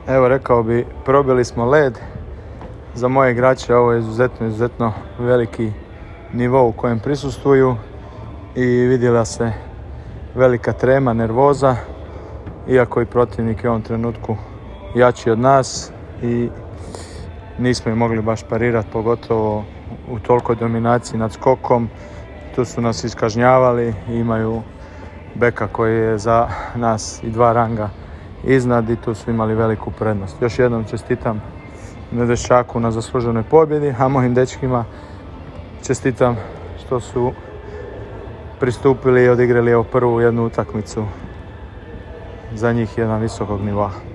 Evo, rekao bi, probili smo led. Za moje igrače ovo je izuzetno veliki nivo u kojem prisustvuju i vidjela se velika trema, nervoza, iako i protivnik je u ovom trenutku jači od nas i nismo im mogli baš parirati, pogotovo u tolikoj dominaciji nad skokom. Tu su nas iskažnjavali, imaju beka koji je za nas i 2 ranga iznad i tu su imali veliku prednost. Još jednom čestitam Nedeščaku na zasluženoj pobjedi, a mojim dečkima čestitam što su pristupili i odigrali prvu jednu utakmicu za njih jedan visokog nivoa.